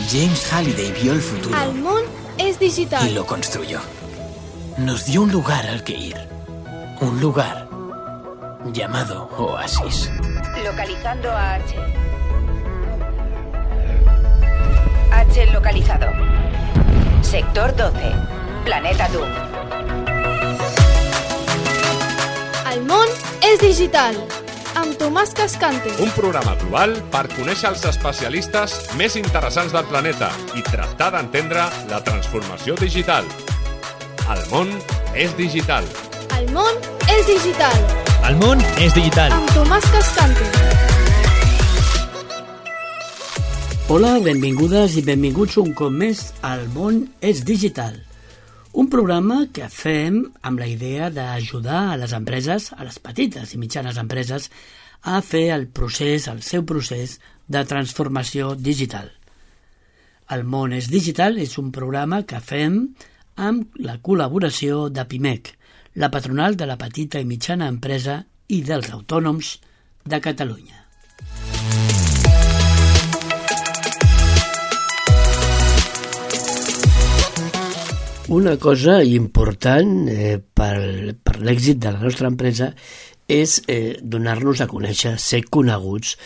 James Halliday vio el futuro. El món es digital. Y lo construyó. Nos dio un lugar al que ir. Un lugar llamado Oasis. Localizando a H. H localizado. Sector 12. Planeta Doom. El món és digital. Amb Tomàs Cascante. Un programa global per conèixer els especialistes més interessants del planeta i tractar d'entendre la transformació digital. El món és digital. El món és digital. El món és digital. Amb Tomàs Cascante. Hola, benvingudes i benvinguts un cop més al món és digital. Un programa que fem amb la idea d'ajudar a les empreses, a les petites i mitjanes empreses, a fer el seu procés de transformació digital. El món és digital és un programa que fem amb la col·laboració de PIMEC, la patronal de la petita i mitjana empresa i dels autònoms de Catalunya. Una cosa important per l'èxit de la nostra empresa és donar-nos a conèixer, ser coneguts.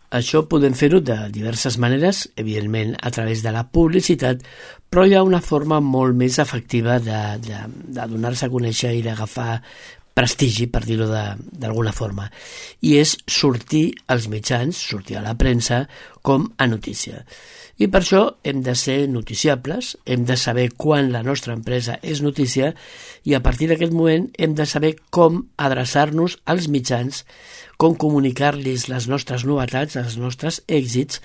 Això podem fer-ho de diverses maneres, evidentment a través de la publicitat, però hi ha una forma molt més efectiva de donar-se a conèixer i d'agafar prestigi, per dir-ho d'alguna forma, i és sortir als mitjans, sortir a la premsa com a notícia. I per això hem de ser noticiables, hem de saber quan la nostra empresa és notícia i a partir d'aquest moment hem de saber com adreçar-nos als mitjans, com comunicar-los les nostres novetats, els nostres èxits,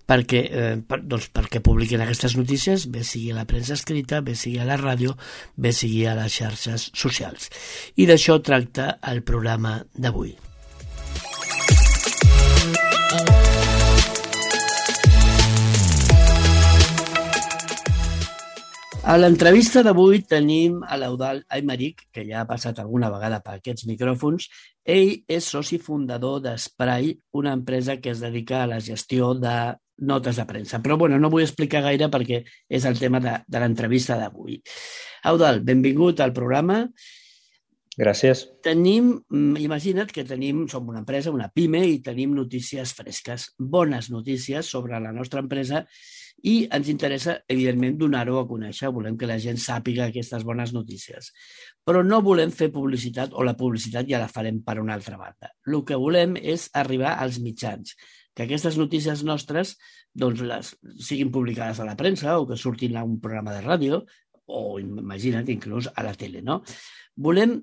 perquè publiquin aquestes notícies, bé sigui a la premsa escrita, bé sigui a la ràdio, bé sigui a les xarxes socials. I d'això tracta el programa d'avui. A l'entrevista d'avui tenim a l'Eudald Aymeric, que ja ha passat alguna vegada per aquests micròfons. Ell és soci fundador d'Spray, una empresa que es dedica a la gestió de notes de premsa. Però no vull explicar gaire perquè és el tema de l'entrevista d'avui. Eudald, benvingut al programa. Gràcies. Imagina't que som una empresa, una PIME, i tenim notícies fresques, bones notícies sobre la nostra empresa i ens interessa, evidentment, donar-ho a conèixer. Volem que la gent sàpiga aquestes bones notícies. Però no volem fer publicitat, o la publicitat ja la farem per una altra banda. El que volem és arribar als mitjans, que aquestes notícies nostres siguin publicades a la premsa o que surtin a un programa de ràdio o, imagina't, inclús a la tele, no? Volem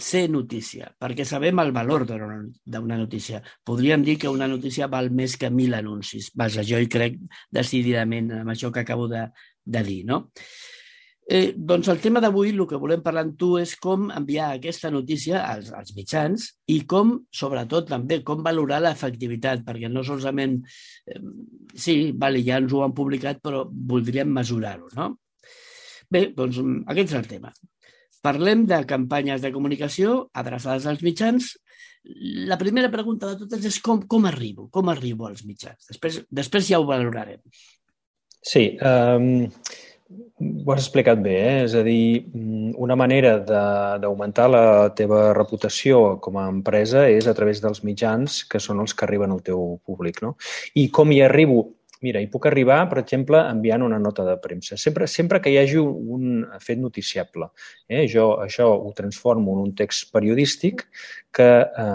ser notícia, perquè sabem el valor d'una notícia. Podríem dir que una notícia val més que 1.000 anuncis. Vaja, jo hi crec decididament amb això que acabo de dir, no? Doncs el tema d'avui, el que volem parlar amb tu és com enviar aquesta notícia als mitjans i com, sobretot, també com valorar l'efectivitat, perquè no solament, sí, ja ens ho han publicat, però voldríem mesurar-ho, no? Bé, doncs aquest és el tema. Parlem de campanyes de comunicació adreçades als mitjans. La primera pregunta de totes és com arribo als mitjans. Després ja ho valorarem. Sí, ho has explicat bé, És a dir, una manera d'augmentar la teva reputació com a empresa és a través dels mitjans, que són els que arriben al teu públic, no? I com hi arribo? Mira, hi puc arribar, per exemple, enviant una nota de premsa. Sempre que hi hagi un fet noticiable. Jo això ho transformo en un text periodístic que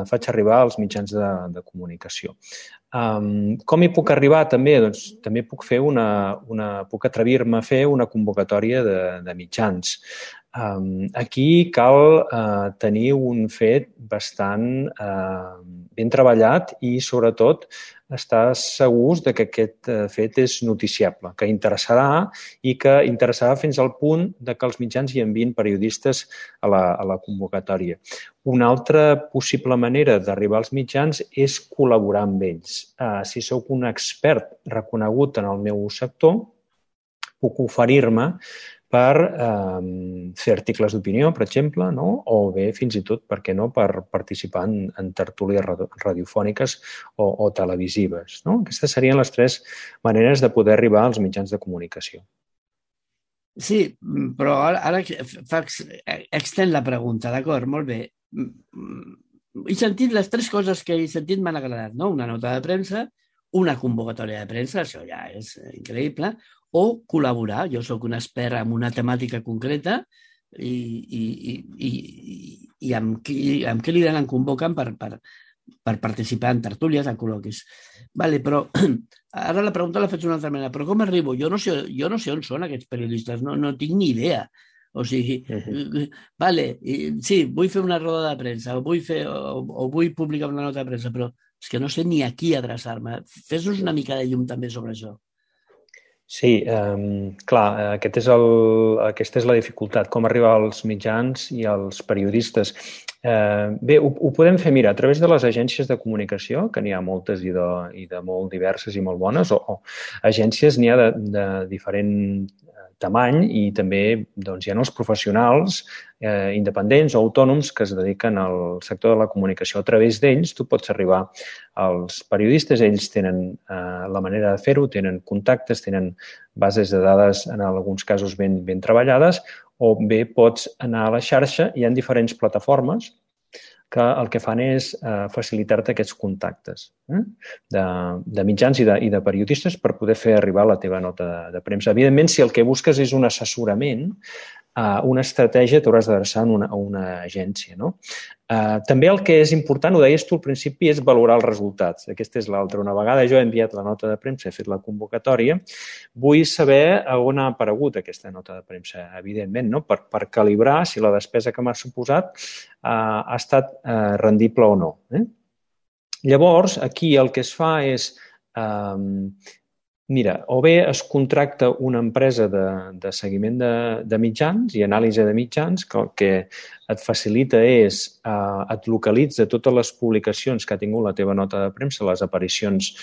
faig arribar als mitjans de comunicació. Com hi puc arribar també? Doncs també puc puc atrevir-me a fer una convocatòria de mitjans. Aquí cal tenir un fet bastant ben treballat i, sobretot, estar segurs que aquest fet és noticiable, que interessarà i que interessarà fins al punt que els mitjans hi enviïn periodistes a la convocatòria. Una altra possible manera d'arribar als mitjans és col·laborar amb ells. Si sóc un expert reconegut en el meu sector, puc oferir-me per fer articles d'opinió, per exemple, no? O bé, fins i tot, per què no, per participar en tertúlies radiofòniques o televisives. No? Aquestes serien les 3 maneres de poder arribar als mitjans de comunicació. Sí, però ara extén la pregunta, d'acord? Molt bé. He sentit les 3 coses que he sentit m'han agradat, no? Una nota de premsa, una convocatòria de premsa, això ja és increïble, o col·laborar. Jo sóc un expert en una temàtica concreta i amb qui lideren em convoquen per participar en tertúlies, en col·loquis. Vale, però ara la pregunta la faig d'una altra manera. Però com arribo? Jo no sé on són aquests periodistes, no tinc ni idea. O sigui, vale, sí, vull fer una roda de premsa o vull publicar una nota de premsa, però és que no sé ni a qui adreçar-me. Fes-nos una mica de llum també sobre això. Sí, clar, aquesta és la dificultat, com arribar als mitjans i als periodistes. Bé, ho podem fer, mira, a través de les agències de comunicació, que n'hi ha moltes i de molt diverses i molt bones, o agències n'hi ha de diferent tamany i també hi ha els professionals independents o autònoms que es dediquen al sector de la comunicació. A través d'ells tu pots arribar als periodistes, ells tenen la manera de fer-ho, tenen contactes, tenen bases de dades en alguns casos ben treballades, o bé pots anar a la xarxa, hi ha diferents plataformes que el que fan és facilitar-te aquests contactes de mitjans i de periodistes per poder fer arribar la teva nota de premsa. Evidentment, si el que busques és un assessorament, una estratègia t'hauràs d'adreçar a una agència. No? També el que és important, ho deies tu al principi, és valorar els resultats. Aquesta és l'altra. Una vegada jo he enviat la nota de premsa, he fet la convocatòria, vull saber on ha aparegut aquesta nota de premsa, evidentment, no? Per calibrar si la despesa que m'ha suposat ha estat rendible o no. Llavors, aquí el que es fa és... Mira, o bé es contracta una empresa de seguiment de mitjans i anàlisi de mitjans que el que et facilita és, et localitza totes les publicacions que ha tingut la teva nota de premsa, les aparicions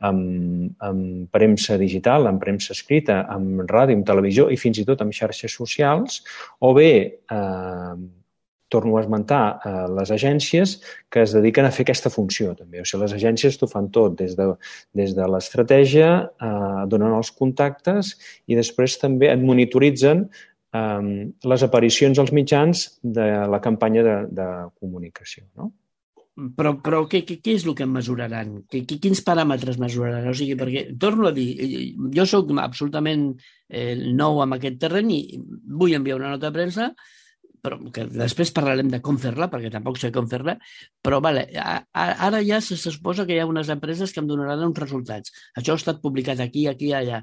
en premsa digital, en premsa escrita, en ràdio, en televisió i fins i tot en xarxes socials, o bé torno a esmentar les agències que es dediquen a fer aquesta funció també. O sigui, les agències t'ho fan tot, des de l'estratègia, donen els contactes i després també et monitoritzen les aparicions als mitjans de la campanya de comunicació. No? Però què és el que em mesuraran? Quins paràmetres mesuraran? O sigui, perquè, torno a dir, jo soc absolutament nou en aquest terreny i vull enviar una nota de premsa, però que després parlarem de com fer-la, perquè tampoc sé com fer-la, però vale, ara ja se suposa que hi ha unes empreses que em donaran uns resultats. Això ha estat publicat aquí, allà.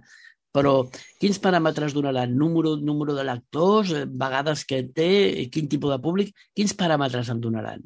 Però quins paràmetres donaran? Número de lectors, vegades que té, quin tipus de públic? Quins paràmetres em donaran?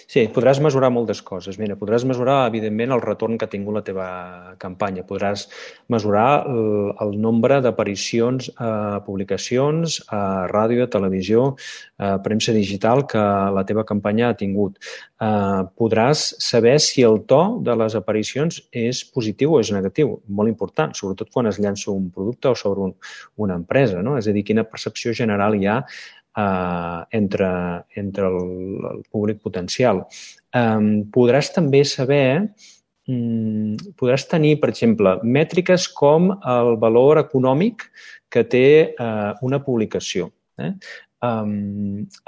Sí, podràs mesurar moltes coses. Mira, podràs mesurar, evidentment, el retorn que ha tingut la teva campanya. Podràs mesurar el nombre d'aparicions a publicacions, a ràdio, a televisió, a premsa digital que la teva campanya ha tingut. Podràs saber si el to de les aparicions és positiu o és negatiu. Molt important, sobretot quan es llança un producte o sobre una empresa, no? És a dir, quina percepció general hi ha entre el públic potencial. Podràs també saber, podràs tenir, per exemple, mètriques com el valor econòmic que té una publicació.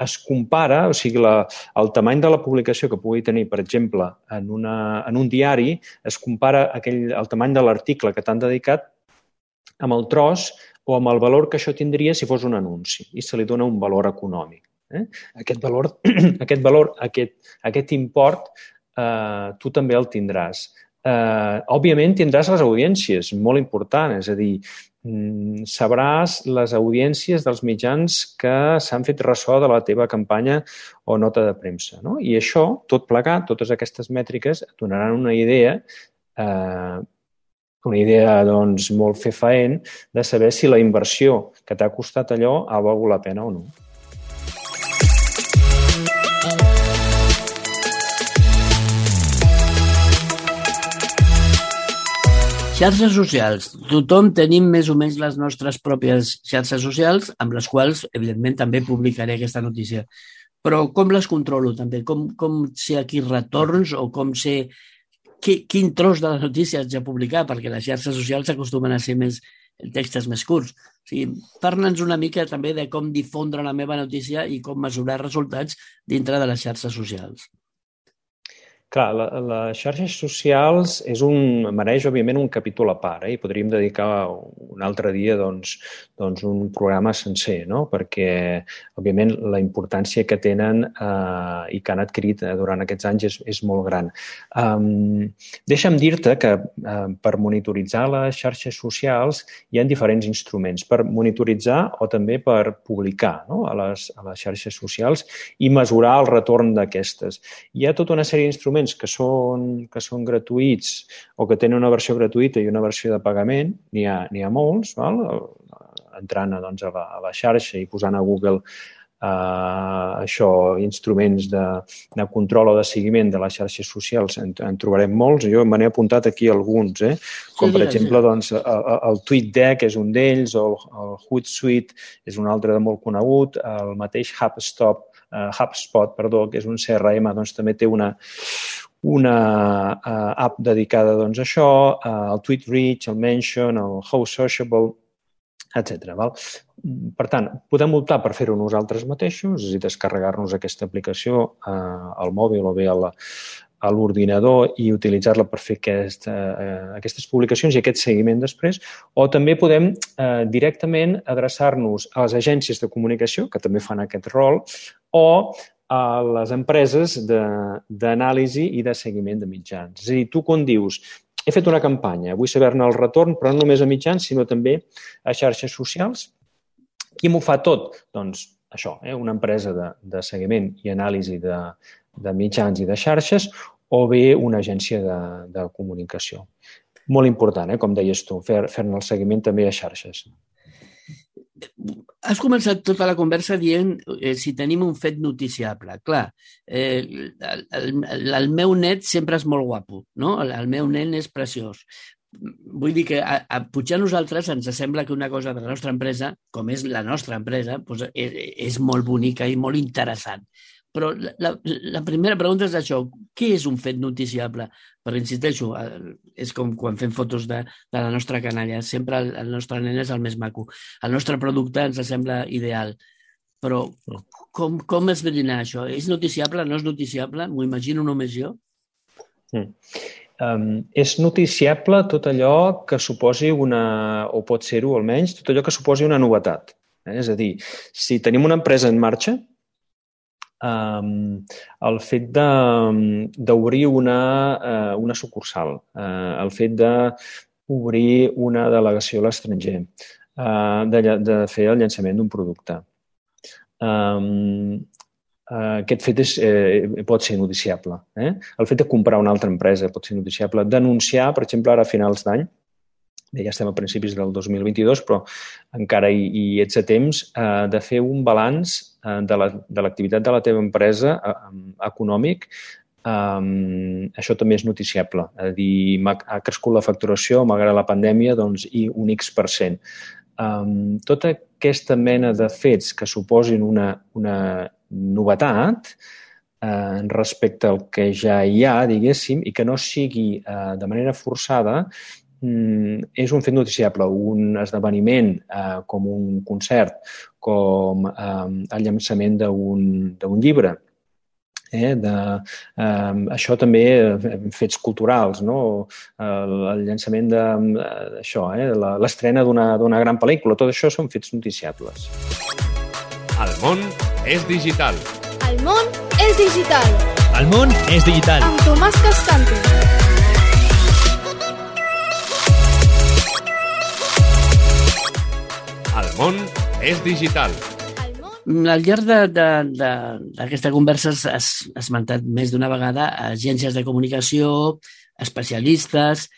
Es compara, o sigui, el tamany de la publicació que pugui tenir, per exemple, en un diari, es compara el tamany de l'article que t'han dedicat amb el tros o amb el valor que això tindria si fos un anunci i se li dona un valor econòmic. Aquest import tu també el tindràs. Òbviament tindràs les audiències, molt important, és a dir, sabràs les audiències dels mitjans que s'han fet ressò de la teva campanya o nota de premsa. No? I això, tot plegat, totes aquestes mètriques et donaran una idea doncs, molt fefaent de saber si la inversió que t'ha costat allò ha valgut la pena o no. Xarxes socials. Tothom tenim més o menys les nostres pròpies xarxes socials, amb les quals, evidentment, també publicaré aquesta notícia. Però com les controlo, també? Com sé aquí retorns o com sé quin tros de la notícia haig de publicar? Perquè les xarxes socials acostumen a ser textos més curts. O sigui, parla'ns una mica també de com difondre la meva notícia i com mesurar resultats dintre de les xarxes socials. Clar, les xarxes socials mereix, òbviament, un capítol a part, i podríem dedicar un altre dia un programa sencer, no? Perquè, òbviament, la importància que tenen i que han adquirit durant aquests anys és molt gran. Deixa'm dir-te que per monitoritzar les xarxes socials hi ha diferents instruments, per monitoritzar o també per publicar, no? a les xarxes socials i mesurar el retorn d'aquestes. Hi ha tota una sèrie d'instruments que són gratuïts o que tenen una versió gratuïta i una versió de pagament, n'hi ha molts, val? Entrant a la xarxa i posant a Google instruments de control o de seguiment de les xarxes socials, en trobarem molts. Jo me n'he apuntat aquí alguns, com per exemple el TweetDeck és un d'ells, o el Hootsuite és un altre de molt conegut, el mateix HubSpot, que és un CRM, també té una app dedicada a això, el TweetReach, el Mention, el How Sociable, etc. Per tant, podem optar per fer-ho nosaltres mateixos, és a dir, descarregar-nos aquesta aplicació al mòbil o bé a l'ordinador i utilitzar-la per fer aquestes publicacions i aquest seguiment després, o també podem directament adreçar-nos a les agències de comunicació, que també fan aquest rol, o a les empreses d'anàlisi i de seguiment de mitjans. És a dir, tu quan dius he fet una campanya, vull saber-ne el retorn, però no només a mitjans, sinó també a xarxes socials. Qui m'ho fa tot? Doncs això, una empresa de seguiment i anàlisi de mitjans i de xarxes, o bé una agència de comunicació. Molt important, com deies tu, fer-ne el seguiment també a xarxes. Has començat tota la conversa dient si tenim un fet noticiable. Clar, el meu net sempre és molt guapo, no? El meu nen és preciós. Vull dir que potser a nosaltres ens sembla que una cosa de la nostra empresa, com és la nostra empresa, és molt bonica i molt interessant. Però la primera pregunta és això, què és un fet noticiable? Perquè, insisteixo, és com quan fem fotos de la nostra canalla, sempre el nostre nen és el més maco. El nostre producte ens sembla ideal, però com esbrinar això? És noticiable, no és noticiable? M'ho imagino només jo? És noticiable tot allò que suposi o pot ser-ho almenys, tot allò que suposi una novetat. És a dir, si tenim una empresa en marxa, el fet d'obrir una sucursal, el fet d'obrir una delegació a l'estranger, de fer el llançament d'un producte. Aquest fet pot ser noticiable. El fet de comprar una altra empresa pot ser noticiable. Denunciar, per exemple, ara a finals d'any, ja estem a principis del 2022, però encara hi ets a temps de fer un balanç de l'activitat de la teva empresa econòmic. Això també és noticiable. És a dir, ha crescut la facturació malgrat la pandèmia i un X%. Tota aquesta mena de fets que suposin una novetat respecte al que ja hi ha, diguéssim, i que no sigui de manera forçada, és un fet noticiable. Un esdeveniment com un concert, com el llançament d'un llibre. Això també, fets culturals, el llançament d'això, l'estrena d'una gran pel·lícula, tot això són fets noticiables. El món és digital. El món és digital. El món és digital. Amb Tomàs Cascante. El món és digital. Al llarg d'aquesta conversa has esmentat més d'una vegada agències de comunicació, especialistes.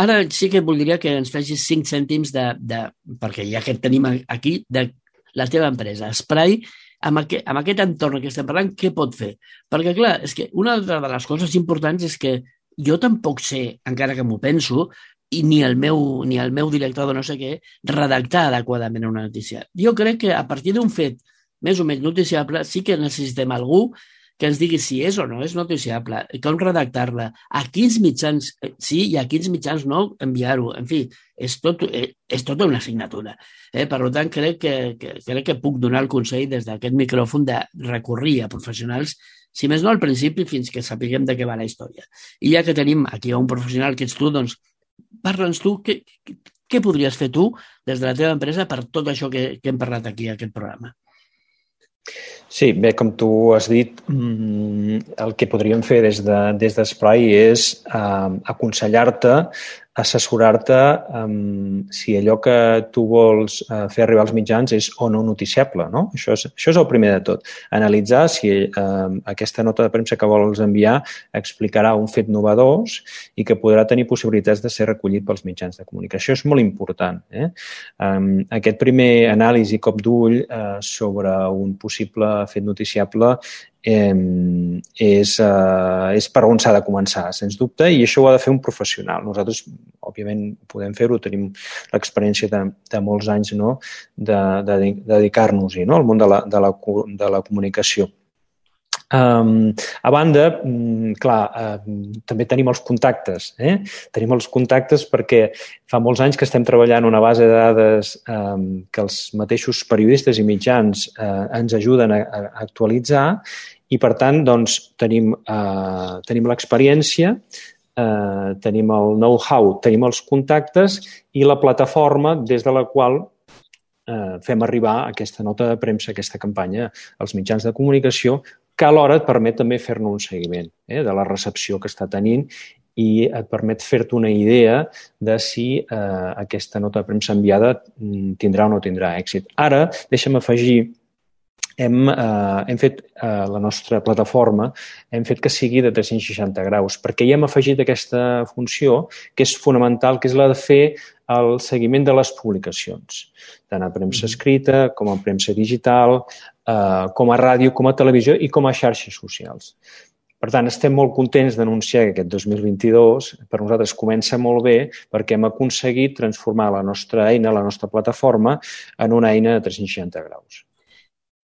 Ara sí que voldria que ens facis 5 cèntims perquè ja que et tenim aquí, de la teva empresa. Spray, amb aquest entorn que estem parlant, què pot fer? Perquè, clar, és que una de les coses importants és que jo tampoc sé, encara que m'ho penso, i ni el meu director de no sé què redactar adequadament una notícia. Jo crec que a partir d'un fet més o menys noticiable sí que necessitem algú que ens digui si és o no és noticiable, com redactar-la, a quins mitjans sí i a quins mitjans no enviar-ho. En fi, és tota una assignatura. Per tant, crec que puc donar el consell des d'aquest micròfon de recórrer a professionals, si més no al principi, fins que sapiguem de què va la història. I ja que tenim aquí un professional que ets tu, doncs parla'ns tu, què podries fer tu des de la teva empresa per tot això que hem parlat aquí a aquest programa? Sí, bé, com tu has dit, el que podríem fer des d'Esplai és aconsellar-te, assessorar-te si allò que tu vols fer arribar als mitjans és o no noticiable, no? Això és el primer de tot. Analitzar si aquesta nota de premsa que vols enviar explicarà un fet novedós i que podrà tenir possibilitats de ser recollit pels mitjans de comunicació. Això és molt important. Aquest primer anàlisi cop d'ull sobre un possible fet noticiable és per on s'ha de començar, sens dubte, i això ho ha de fer un professional. Nosaltres, òbviament, podem fer-ho, tenim l'experiència de molts anys, no?, de dedicar-nos-hi, no?, al món de la comunicació. A banda, clar, també tenim els contactes. Tenim els contactes perquè fa molts anys que estem treballant una base de dades que els mateixos periodistes i mitjans ens ajuden a actualitzar i, per tant, doncs, tenim l'experiència, tenim el know-how, tenim els contactes i la plataforma des de la qual fem arribar aquesta nota de premsa, aquesta campanya als mitjans de comunicació, que alhora et permet també fer-ne un seguiment de la recepció que està tenint i et permet fer-te una idea de si aquesta nota de premsa enviada tindrà o no tindrà èxit. Ara, deixa'm afegir, hem fet la nostra plataforma, hem fet que sigui de 360 graus, perquè hi hem afegit aquesta funció que és fonamental, que és la de fer el seguiment de les publicacions, tant a premsa escrita com a premsa digital, com a ràdio, com a televisió i com a xarxes socials. Per tant, estem molt contents d'anunciar que aquest 2022 per nosaltres comença molt bé perquè hem aconseguit transformar la nostra eina, la nostra plataforma, en una eina de 360 graus.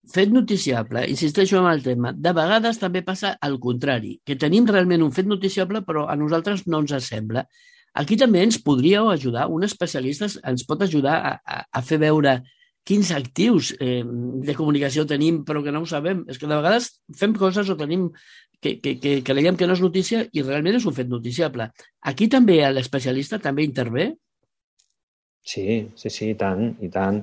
Fet noticiable, insisteixo en el tema, de vegades també passa al contrari, que tenim realment un fet noticiable però a nosaltres no ens sembla. Aquí també ens podríeu ajudar, un especialista ens pot ajudar a fer veure quins actius de comunicació tenim però que no ho sabem. És que de vegades fem coses o tenim que creiem que no és notícia i realment és un fet noticiable. Aquí també l'especialista també intervé? Sí, i tant, i tant.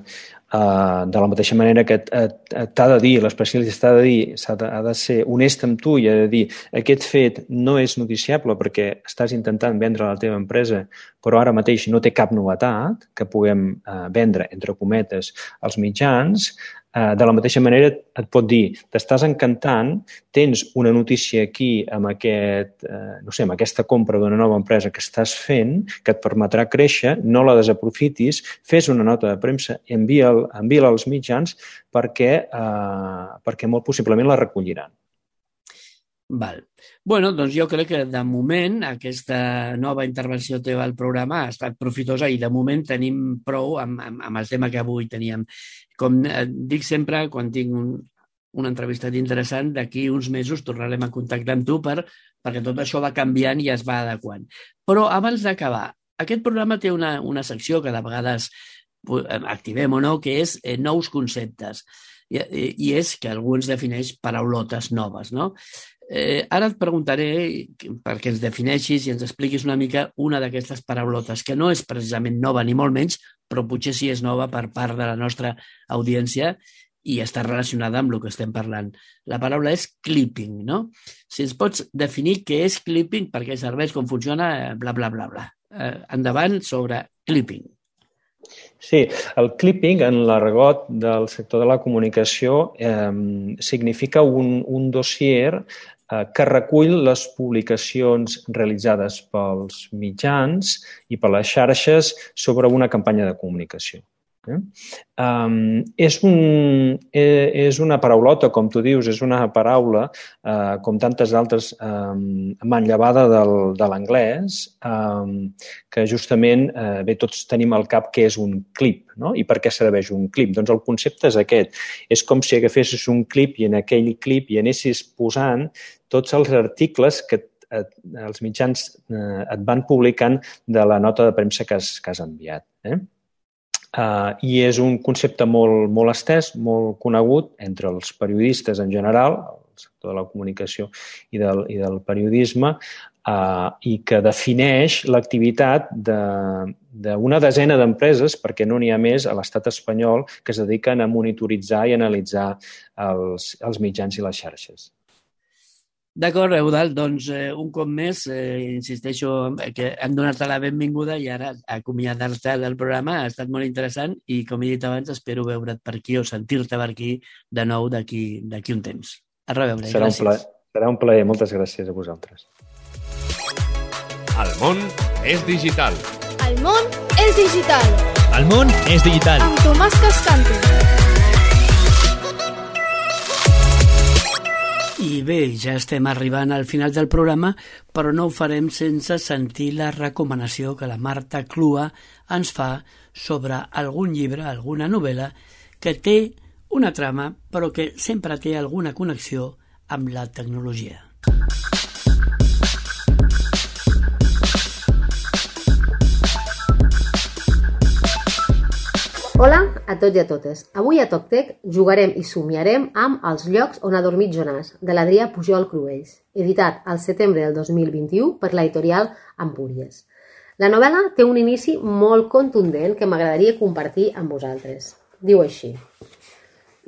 De la mateixa manera que t'ha de dir, l'especialista ha de ser honest amb tu i ha de dir aquest fet no és noticiable perquè estàs intentant vendre la teva empresa però ara mateix no té cap novetat que puguem vendre, entre cometes, als mitjans. De la mateixa manera et pot dir, t'estàs encantant, tens una notícia aquí amb aquesta compra d'una nova empresa que estàs fent, que et permetrà créixer, no la desaprofitis, fes una nota de premsa i envia-la als mitjans perquè molt possiblement la recolliran. Val. Bueno, doncs jo crec que de moment aquesta nova intervenció teva al programa ha estat profitosa i de moment tenim prou amb el tema que avui teníem. Com dic sempre, quan tinc una entrevista interessant, d'aquí uns mesos tornarem a contactar amb tu perquè tot això va canviant i es va adequant. Però abans d'acabar, aquest programa té una secció que de vegades activem o no, que és nous conceptes. I és que algú ens defineix paraulotes noves, no? Ara et preguntaré perquè ens defineixis i ens expliquis una mica una d'aquestes paraulotes, que no és precisament nova ni molt menys, però potser sí és nova per part de la nostra audiència i està relacionada amb el que estem parlant. La paraula és clipping, no? Si ens pots definir què és clipping, per què serveix, com funciona, bla, bla, bla, bla. Endavant sobre clipping. Sí, el clipping en l'argot del sector de la comunicació significa un dossier que recull les publicacions realitzades pels mitjans i per les xarxes sobre una campanya de comunicació. És una paraulota, com tu dius, és una paraula, com tantes altres, manllevada de l'anglès, que justament, bé, tots tenim al cap què és un clip, no? I per què serveix un clip? Doncs el concepte és aquest. És com si agafessis un clip i en aquell clip hi anessis posant tots els articles que els mitjans et van publicant de la nota de premsa que has enviat. I és un concepte molt estès, molt conegut entre els periodistes en general, el sector de la comunicació i del periodisme, i que defineix l'activitat d'una desena d'empreses, perquè no n'hi ha més a l'estat espanyol, que es dediquen a monitoritzar i analitzar els mitjans i les xarxes. D'acord, Eudald, doncs un cop més, insisteixo que hem donat-te la benvinguda i ara acomiadar-te del programa ha estat molt interessant i, com he dit abans, espero veure't per aquí o sentir-te per aquí de nou d'aquí un temps. A reveure, gràcies. Serà un plaer, moltes gràcies a vosaltres. El món és digital. El món és digital. El món és digital. Amb Tomàs Cascante. I bé, ja estem arribant al final del programa, però no ho farem sense sentir la recomanació que la Marta Clua ens fa sobre algun llibre, alguna novel·la, que té una trama, però que sempre té alguna connexió amb la tecnologia. Hola a tots i a totes. Avui a TocTec jugarem i somiarem amb Els llocs on ha dormit Jonàs, de l'Adrià Pujol Cruells, editat al setembre del 2021 per l'editorial Empúries. La novel·la té un inici molt contundent que m'agradaria compartir amb vosaltres. Diu així: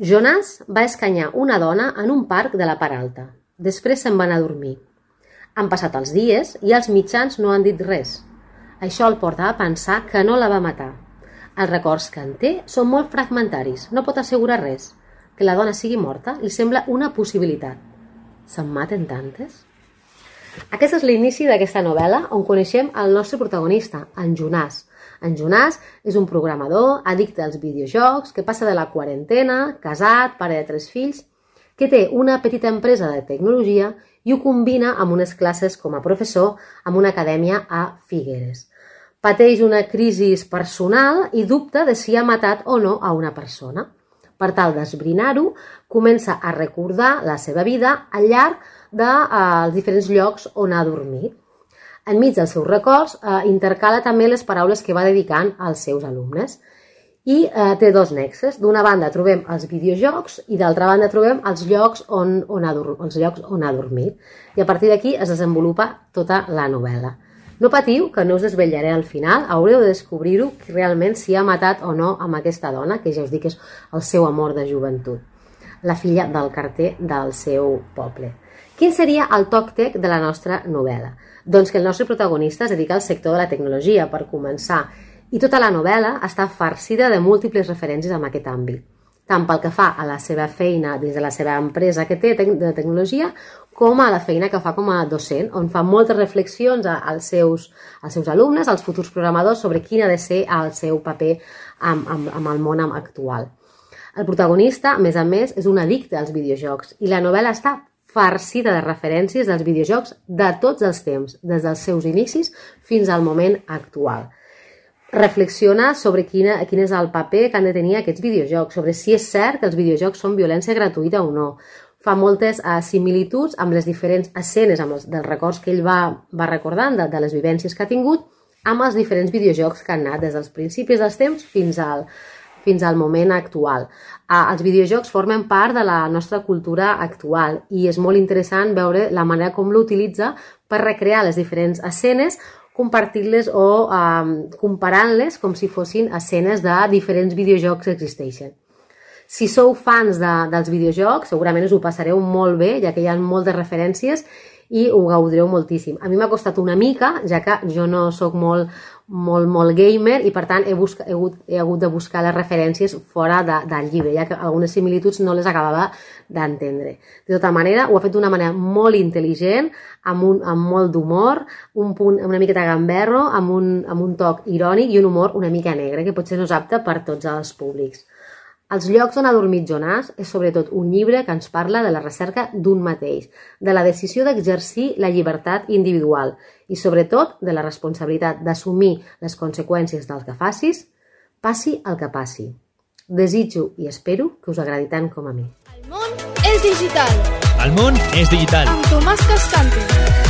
Jonàs va escanyar una dona en un parc de la part alta. Després se'n va anar a dormir. Han passat els dies i els mitjans no han dit res. Això el porta a pensar que no la va matar. Els records que en té són molt fragmentaris, no pot assegurar res. Que la dona sigui morta li sembla una possibilitat. Se'n maten tantes? Aquest és l'inici d'aquesta novel·la on coneixem el nostre protagonista, en Jonàs. En Jonàs és un programador, addicte als videojocs, que passa de la quarantena, casat, pare de 3 fills, que té una petita empresa de tecnologia i ho combina amb unes classes com a professor amb una acadèmia a Figueres. Pateix una crisi personal i dubta de si ha matat o no a una persona. Per tal d'esbrinar-ho, comença a recordar la seva vida al llarg dels diferents llocs on ha dormit. Enmig dels seus records, intercala també les paraules que va dedicant als seus alumnes. I té 2 nexes. D'una banda trobem els videojocs i d'altra banda trobem els llocs on ha dormit. I a partir d'aquí es desenvolupa tota la novel·la. No patiu, que no us desvetllaré al final, haureu de descobrir-ho realment si ha matat o no amb aquesta dona, que ja us dic que és el seu amor de joventut, la filla del carter del seu poble. Quin seria el TocTec de la nostra novel·la? Doncs que el nostre protagonista es dedica al sector de la tecnologia, per començar, i tota la novel·la està farcida de múltiples referències en aquest àmbit, tant pel que fa a la seva feina dins de la seva empresa que té de tecnologia, com a la feina que fa com a docent, on fa moltes reflexions als seus alumnes, als futurs programadors, sobre quin ha de ser el seu paper amb el món actual. El protagonista, a més, és un addicte als videojocs i la novel·la està farcida de referències dels videojocs de tots els temps, des dels seus inicis fins al moment actual. Reflexiona sobre quin és el paper que han de tenir aquests videojocs, sobre si és cert que els videojocs són violència gratuïta o no. Fa moltes similituds amb les diferents escenes, dels records que ell va recordant, de les vivències que ha tingut, amb els diferents videojocs que han anat des dels principis dels temps fins al moment actual. Els videojocs formen part de la nostra cultura actual i és molt interessant veure la manera com l'utilitza per recrear les diferents escenes, compartir-les o comparant-les com si fossin escenes de diferents videojocs que existeixen. Si sou fans dels videojocs, segurament us ho passareu molt bé, ja que hi ha moltes referències i ho gaudireu moltíssim. A mi m'ha costat una mica, ja que jo no sóc molt molt gamer i per tant he hagut de buscar les referències fora del llibre, ja que algunes similituds no les acabava d'entendre. De tota manera, ho ha fet d'una manera molt intel·ligent, amb molt d'humor, un punt una miqueta gamberro, amb un toc irònic i un humor una mica negre, que potser no és apte per tots els públics. Els llocs on ha dormit Jonàs és sobretot un llibre que ens parla de la recerca d'un mateix, de la decisió d'exercir la llibertat individual i sobretot de la responsabilitat d'assumir les conseqüències del que facis, passi el que passi. Desitjo i espero que us agradi tant com a mi. El món és digital. El món és digital. Amb Tomàs Cascante.